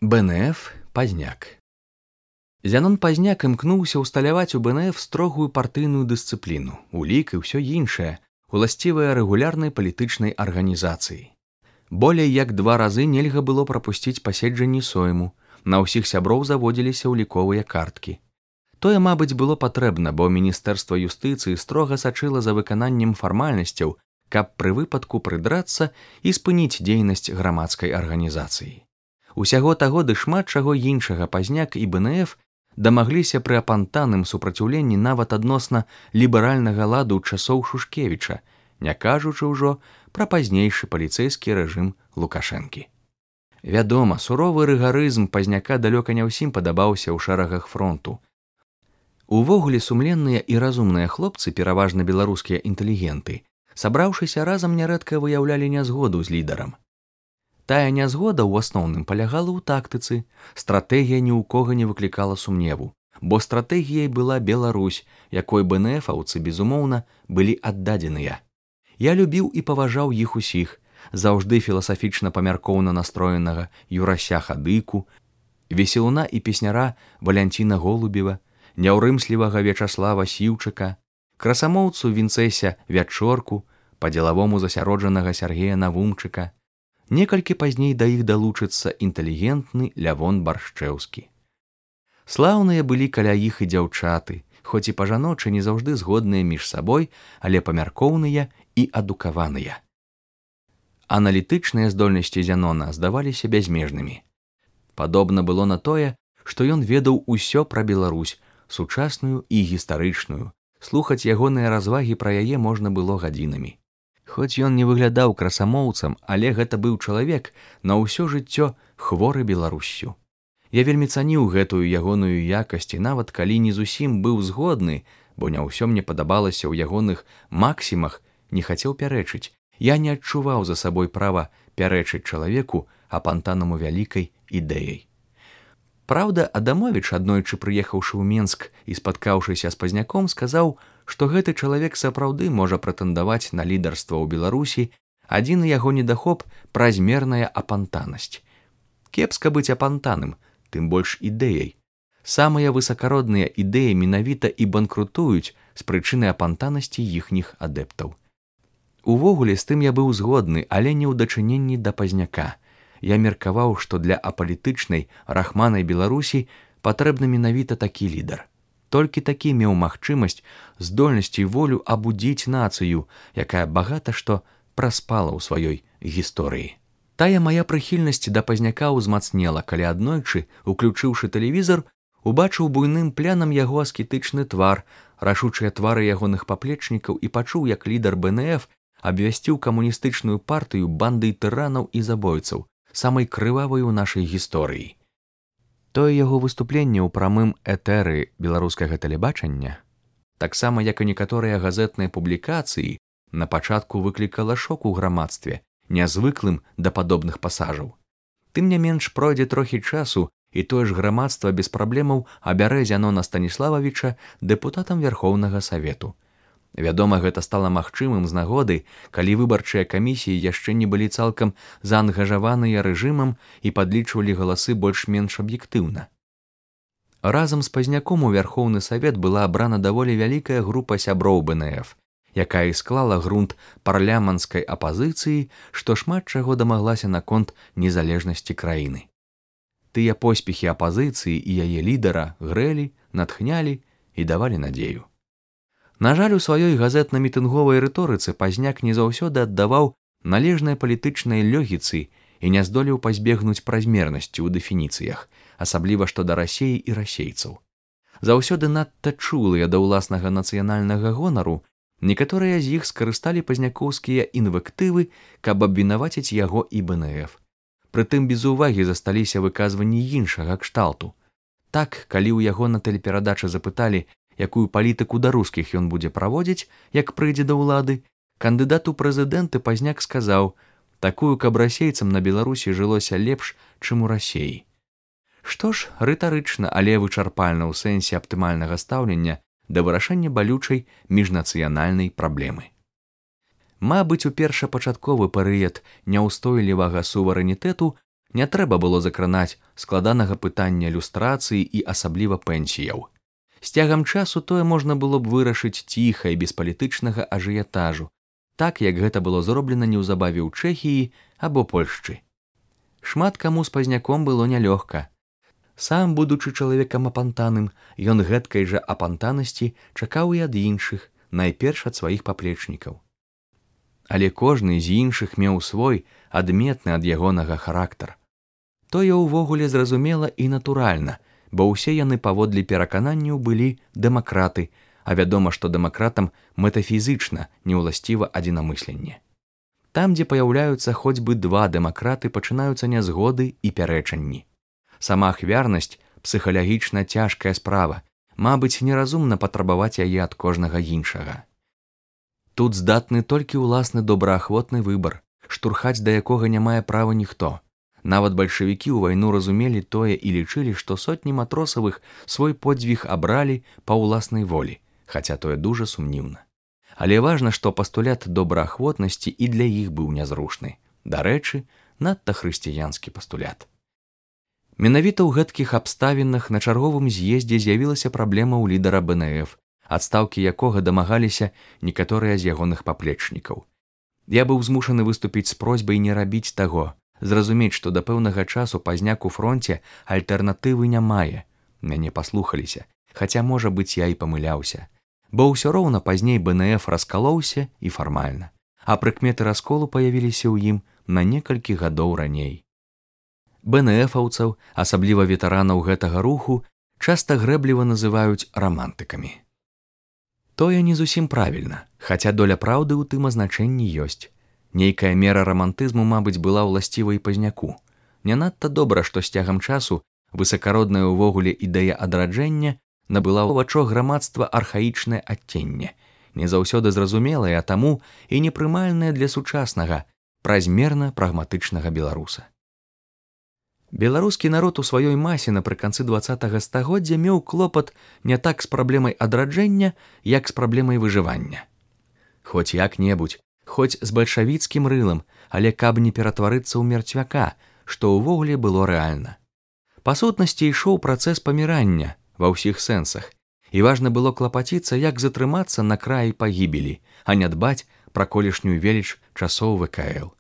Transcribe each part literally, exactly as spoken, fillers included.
БНФ Пазняк. Зянон Пазняк імкнуўся ўсталяваць у БНФ строгую партыйную дысцыпліну, улік і ўсё іншае, уласцівае рэгулярнай палітычнай арганізацыі. Болей як два разы нельга было прапусціць паседжанні сойму, на ўсіх сяброў заводзіліся ўліковыя карткі. Тое, мабыць, было патрэбна, бо Міністэрства юстыцыі строга сачыла за выкананнем фармальнасцяў, каб пры выпадку прыдрацца і спыніць дзейнасць грамадскай арганізацыі. Усяго таго ды шмат чаго іншага Пазняк і БНФ дамагліся пры апантаным супраціўленні нават адносна ліберальнага ладу ў часоў Шушкевіча, не кажучы ўжо пра пазнейшы паліцэйскі рэжым Лукашэнкі. Вядома, суровы рыгарызм Пазняка далёка не ўсім падабаўся ў шэрагах фронту. Увогуле сумленныя і разумныя хлопцы, пераважна беларускія інтэлігенты, сабраўшыся разам нярэдка выяўлялі нязгоду з лідарам. Тая нязгода ў асноўным палягала ў тактыцы, стратэгія ні ў кога не выклікала сумневу, бо стратэгіяй была Беларусь, якой БНФаўцы, безумоўна, былі аддадзеныя. Я любіў і паважаў іх усіх, заўжды філасафічна-памяркоўна настроенага Юрася Хадыку, веселуна і песняра Валянціна Голубева, няўрымслівага Вячаслава Сіўчыка, красамоўцу Вінцэся Вячорку, па-дзелавому засяроджанага Сяргея Навумчыка. Некалькі пазней да іх далучыцца інтэлігентны Лявон Баршчэўскі. Слаўныя былі каля іх і дзяўчаты, хоць і па-жаночы не заўжды згодныя між сабой, але памяркоўныя і адукаваныя. Аналітычныя здольнасці Зянона здаваліся бязмежнымі. Падобна было на тое, што ён ведаў усё пра Беларусь, сучасную і гістарычную. Слухаць ягоныя развагі пра яе можна было гадзінамі. Хоць ён не выглядаў красамоўцам, але гэта быў чалавек на ўсё жыццё хворы Беларуссю. Я вельмі цаніў гэтую ягоную якасць, і нават калі не зусім быў згодны, бо не ўсё мне падабалася ў ягоных максімах, не хацеў пярэчыць, я не адчуваў за сабой права пярэчыць чалавеку, апантанаму вялікай ідэяй. Праўда, Адамовіч, аднойчы прыехаўшы ў Менск і спаткаўшыся з Пазняком, сказаў, што гэты чалавек сапраўды можа прэтэндаваць на лідарства ў Беларусі, адзіны яго недахоп – празмерная апантанасць. Кепска быць апантаным, тым больш ідэяй. Самыя высакародныя ідэі менавіта і банкрутуюць з прычыны апантанасці іхніх адэптаў. Увогуле, з тым я быў згодны, але не ў дачыненні да Пазняка. Я меркаваў, што для апалітычнай рахманай Беларусі патрэбны менавіта такі лідар. Толькі такі меў магчымасць, здольнасць і волю абудзіць нацыю, якая багата што праспала ў сваёй гісторыі. Тая мая прыхільнасць да Пазняка ўзмацнела, калі аднойчы, уключыўшы тэлевізор, убачыў буйным плянам яго аскетычны твар, рашучыя твары ягоных паплечнікаў і пачуў, як лідар БНФ абвясціў камуністычную партыю бандай тыранаў і забойцаў, самай крывавай у нашай гісторыі. Тое яго выступленне ў прамым этэры беларускага тэлебачання, таксама як і некаторыя газетныя публікацыі, на пачатку выклікала шок у грамадстве, нязвыклым да падобных пасажаў. Тым не менш пройдзе трохі часу, і тое ж грамадства без праблемаў абярэ Зянона Станіслававіча дэпутатам Вярхоўнага Савету. Вядома, гэта стала магчымым з нагоды, калі выбарчыя камісіі яшчэ не былі цалкам заангажаваныя рэжымам і падлічвалі галасы больш-менш аб'ектыўна. Разам з Пазняком у Вярхоўны Савет была абрана даволі вялікая група сяброў БНФ, якая і склала грунт парламенцкай апазіцыі, што шмат чаго дамаглася наконт незалежнасці краіны. Тыя поспехі апазіцыі і яе лідара грэлі, натхнялі і давалі надзею. На жаль, у сваёй газетна-мітынговай рыторыцы Пазняк не заўсёды аддаваў належнай палітычнай лёгіцы і не здолеў пазбегнуць празмернасці ў дэфініцыях, асабліва што да Расеі і расейцаў. Заўсёды надта чулыя да ўласнага нацыянальнага гонару, некаторыя з іх скарысталі пазнякоўскія інвектывы, каб абвінаваціць яго і БНФ. Прытым без увагі засталіся выказванні іншага кшталту. Так, калі ў яго на тэлеперадачы запыталі, якую палітыку да рускіх ён будзе праводзіць, як прыйдзе да ўлады, кандыдат у прэзідэнты Пазняк сказаў, такую, каб расейцам на Беларусі жылося лепш, чым у Расеі. Што ж, рытарычна, але вычарпальна ў сэнсе аптымальнага стаўлення да вырашэння балючай міжнацыянальнай праблемы. Мабыць, у першапачатковы перыяд няўстойлівага суверэнітэту Не трэба было закранаць складанага пытання люстрацыі і асабліва пенсіяў. З цягам часу тое можна было б вырашыць ціха і без палітычнага ажыятажу, так як гэта было зроблена неўзабаве ў Чэхіі або Польшчы. Шмат каму з пазняком было нялёгка. Сам, будучы чалавекам апантаным, ён гэткай жа апантанасці чакаў і ад іншых, найперш ад сваіх паплечнікаў. Але кожны з іншых меў свой, адметны ад ягонага характар. Тое ўвогуле зразумела і натуральна, бо ўсе яны паводле перакананняў былі дэмакраты, а вядома, што дэмакратам метафізычна неўласціва адзінамысленне. Там, дзе паяўляюцца хоць бы два дэмакраты, пачынаюцца нязгоды і пярэчанні. Сама ахвярнасць псіхалагічна цяжкая справа, мабыць, неразумна патрабаваць яе ад кожнага іншага. Тут здатны толькі ўласны добраахвотны выбар, штурхаць да якога не мае права ніхто. Нават бальшавікі ў вайну разумелі тое і лічылі, што сотні матросавых свой подзвіг абралі па ўласнай волі, хаця тое дужа сумнівна. Але важна, што пастулят добраахвотнасці і для іх быў нязрушны. Дарэчы, надта хрысціянскі пастулят. Менавіта ў гэткіх абставінах на чарговым з'ездзе з'явілася праблема ў лідара бэ эн эф, адстаўкі якога дамагаліся некаторыя з ягоных паплечнікаў. Я быў змушаны выступіць з просьбай не рабіць таго, зразумець, што да пэўнага часу пазняк у фронце альтэрнатывы не мае. Мяне паслухаліся, хаця, можа быць, я і памыляўся. Бо ўсё роўна пазней бэ эн эф раскалоўся і фармальна, а прыкметы расколу паявіліся ў ім на некалькі гадоў раней. бэ эн эфаўцаў, асабліва ветэранаў гэтага руху, часта грэбліва называюць рамантыкамі. Тое не зусім правільна, хаця доля праўды ў тым азначэнні ёсць. Нейкая мера рамантызму, мабыць, была ўласціва і пазняку. Не надта добра, што з цягам часу высакародная ўвогуле ідэя адраджэння набыла ў вачах грамадства архаічнае адценне, не заўсёды зразумелае, а таму і непрымальнае для сучаснага, празмерна прагматычнага беларуса. Беларускі народ у сваёй масе напрыканцы дваццатага стагоддзя меў клопат не так з праблемай адраджэння, як з праблемай выжывання. Хоць як-небудзь, хоць з бальшавіцкім рылам, але каб не ператварыцца ў мерцвяка, што ўвогуле было рэальна. Па сутнасці ішоў працэс памірання ва ўсіх сэнсах, і важна было клапаціцца, як затрымацца на краі пагібелі, а не дбаць пра колішнюю веліч часоў вэ ка эл.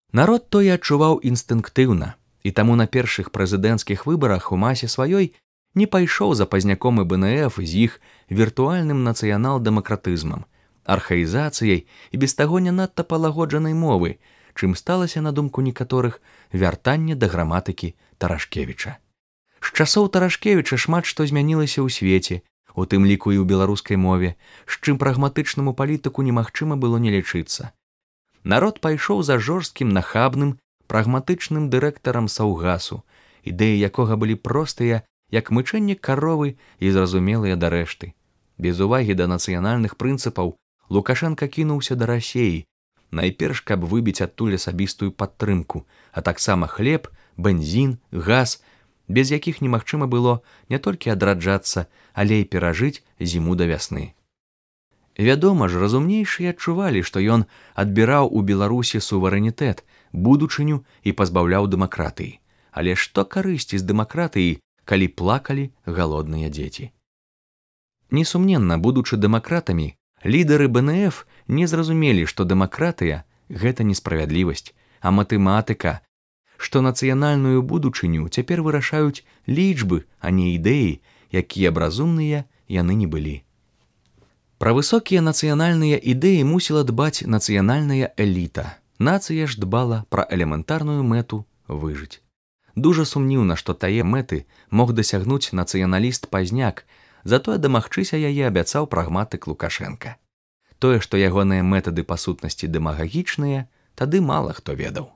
Народ тое адчуваў інстынктыўна, і таму на першых прэзідэнцкіх выбарах у масе сваёй не пайшоў за пазняком і бэ эн эф з іх віртуальным нацыянал-дэмакратызмам, архаізацыяй і без таго не надта палагоджанай мовы, чым сталася, на думку некаторых, вяртанне да граматыкі Тарашкевіча. З часоў Тарашкевіча шмат што змянілася ў свеце, у тым ліку і ў беларускай мове, з чым прагматычнаму палітыку немагчыма было не лічыцца. Народ пайшоў за жорсткім, нахабным, прагматычным дырэктарам Саўгасу, ідэі якога былі простыя, як мычэнне каровы і зразумелыя да рэшты. Без увагі да нацыянальных прынцыпаў Лукашенка кінуўся да Расеі, найперш, каб выбіць адтуль асабістую падтрымку, а таксама хлеб, бензін, газ, без якіх немагчыма было не толькі адраджацца, але і перажыць зіму да вясны. Вядома ж, разумнейшыя адчувалі, што ён адбіраў у Беларусі суверэнітэт, будучыню і пазбаўляў дэмакратыі. Але што карысці з дэмакратыі, калі плакалі галодныя дзеці? Несумненна, будучы дэмакратамі, лідары бэ эн эф не зразумелі, што дэмакратыя – гэта несправядлівасць, а матэматыка, што нацыянальную будучыню цяпер вырашаюць лічбы, а не ідэі, якія б разумныя яны не былі. Пра высокія нацыянальныя ідэі мусіла дбаць нацыянальная эліта. Нацыя ж дбала пра элементарную мэту выжыць. Дужа сумніўна, што тае мэты мог дасягнуць нацыяналіст-пазняк, затое дамагчыся яе абяцаў прагматык Лукашенка. Тое, што ягоныя метады па сутнасці дэмагагічныя, тады мала хто ведаў.